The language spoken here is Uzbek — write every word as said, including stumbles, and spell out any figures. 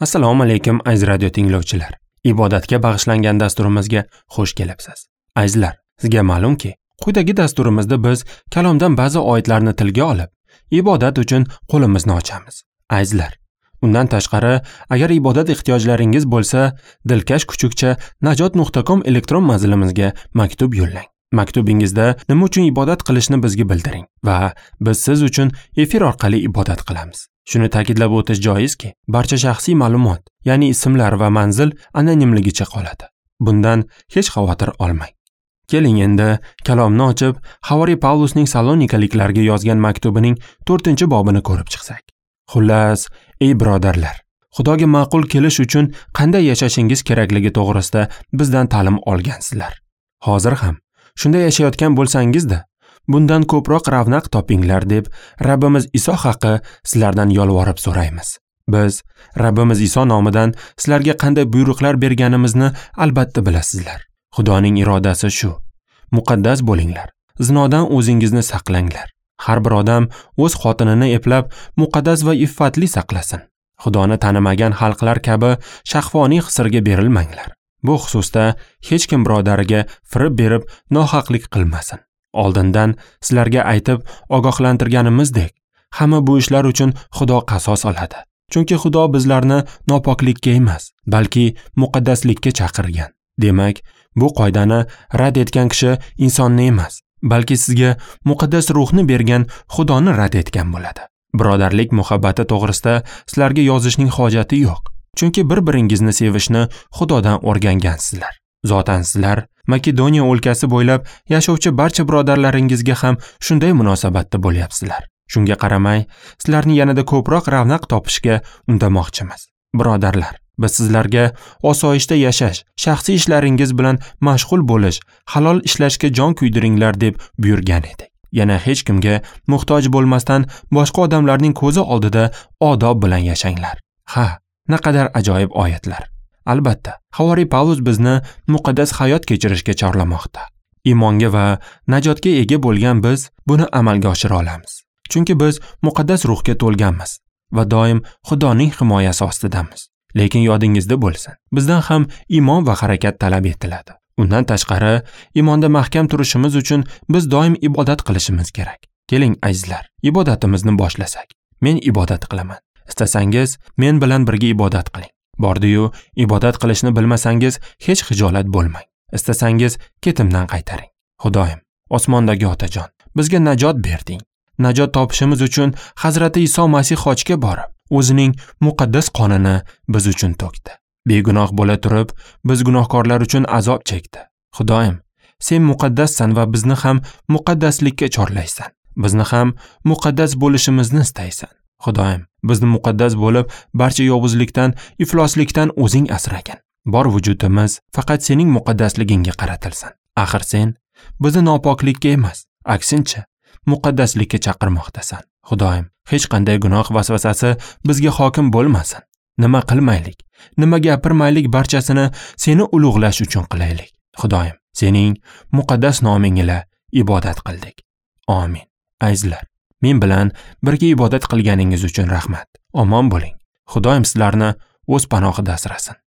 Assalomu alaykum aziz radio tinglovchilar. Ibodatga bag'ishlangan dasturimizga xush kelibsiz. Azizlar, sizga ma'lumki, quyidagi dasturimizda biz kalomdan ba'zi oyatlarni tilga olib, ibodat uchun qo'limizni ochamiz. Azizlar, undan tashqari, agar ibodat ehtiyojlaringiz bo'lsa, dilkash kuchukcha najot nuqta com elektron manzilimizga maktub yo'llang. Maktubingizda nima uchun ibodat qilishni bizga bildiring va biz siz uchun efir orqali ibodat qilamiz. Shuni ta'kidlab o'tish joizki, barcha shaxsiy ma'lumot, ya'ni ismlar va manzil anonimligicha qoladi. Bundan hech xavotir olmang. Keling endi kalomni ochib, Havoriy Pavlusning Salonikaliklarga yozgan maktubining to'rtinchi bobini ko'rib chiqsak. Xullas, ey birodarlar, Xudoga ma'qul kelish uchun qanday yashashingiz kerakligi to'g'risida bizdan ta'lim olgansizlar. Hozir ham shunday yashayotgan bo'lsangiz-da, bundan ko'proq ravnaq topinglar deb Rabbimiz Iso haqi sizlardan yolvorib so'raymiz. Biz Rabbimiz Iso nomidan sizlarga qanday buyruqlar berganimizni albatta bilasizlar. Xudoning irodasi shu. Muqaddas bo'linglar. Zinodan o'zingizni saqlanglar. Har bir odam o'z xotinini eplab, muqaddas va iffatli saqlasin. Xudoni tanimagan xalqlar kabi shahvoniy hislarga berilmanglar. Bu xususda hech kim birodariga firib berib nohaqlik qilmasin. Oldindan sizlarga aytib ogohlantirganimizdek, hamma bu ishlar uchun Xudo qasos oladi. Chunki Xudo bizlarni nopoklikka emas, balki muqaddaslikka chaqirgan. Demak, bu qoidani rad etgan kishi insonni emas, balki sizga muqaddas ruhni bergan Xudoni rad etgan bo'ladi. Birodarlik muhabbati to'g'risida sizlarga yozishning hojati yo'q. Chunki bir-biringizni sevishni Xudodan o'rgangansizlar. Zotan sizlar Makedoniya o'lkasi bo'ylab yashovchi barcha birodarlaringizga ham shunday munosabatda bo'lyapsizlar. Shunga qaramay, sizlarni yanada ko'proq ravnaq topishga undamoqchimiz. Birodarlar, biz sizlarga osoyishta yashash, shaxsiy ishlaringiz bilan mashg'ul bo'lish, halol ishlashga jon kuydiringlar deb buyurgan edik. Yana hech kimga muhtoj bo'lmasdan boshqa odamlarning ko'zi oldida odob bilan yashanglar. Ha, naqadar ajoyib oyatlar. Albatta, Havoriy Pavlus bizni muqaddas hayot kechirishga chorlamoqda. Iymonga va najotga ega bo'lgan biz buni amalga oshira olamiz. Chunki biz muqaddas ruhga to'lganmiz va doim Xudoning himoyasi ostidamiz. Lekin yodingizda bo'lsin, bizdan ham iymon va harakat talab etiladi. Undan tashqari, iymonda mahkam turishimiz uchun biz doim ibodat qilishimiz kerak. Keling azizlar, ibodatimizni boshlasak. Men ibodat qilaman. Istasangiz, men bilan birga ibodat qiling. Bordi-yu, ibodat qilishni bilmasangiz, hech xijolat bo'lmang. Istasangiz, ketimdan qaytaring. Xudoyim, osmondagi Otajon, bizga najot berding. Najot topishimiz uchun Hazrati Iso Masih xochga borib, o'zining muqaddas qonini biz uchun to'kdi. Begunoh bo'la turib, biz gunohkorlar uchun azob chekdi. Xudoyim, sen muqaddassan va bizni ham muqaddaslikka chorlaysan. Bizni ham muqaddas bo'lishimizni istaysan. Xudoyim, bizni muqaddas bo'lib, barcha yovuzlikdan, ifloslikdan o'zing asragin. Bor vujudimiz faqat sening muqaddasligingga qaratilsin. Axir sen bizni nopoklikka emas, aksincha muqaddaslikka chaqirmoqdasan. Xudoyim, hech qanday gunoh vasvasasi bizga hokim bo'lmasin. Nima qilmaylik, nima gapirmaylik, barchasini seni ulug'lash uchun qilaylik. Xudoyim, sening muqaddas noming ila ibodat qildik. Amin. Azizlar, men bilan birga ibodat qilganingiz uchun rahmat. Omon bo'ling. Xudoyim sizlarni o'z panohida asrasin.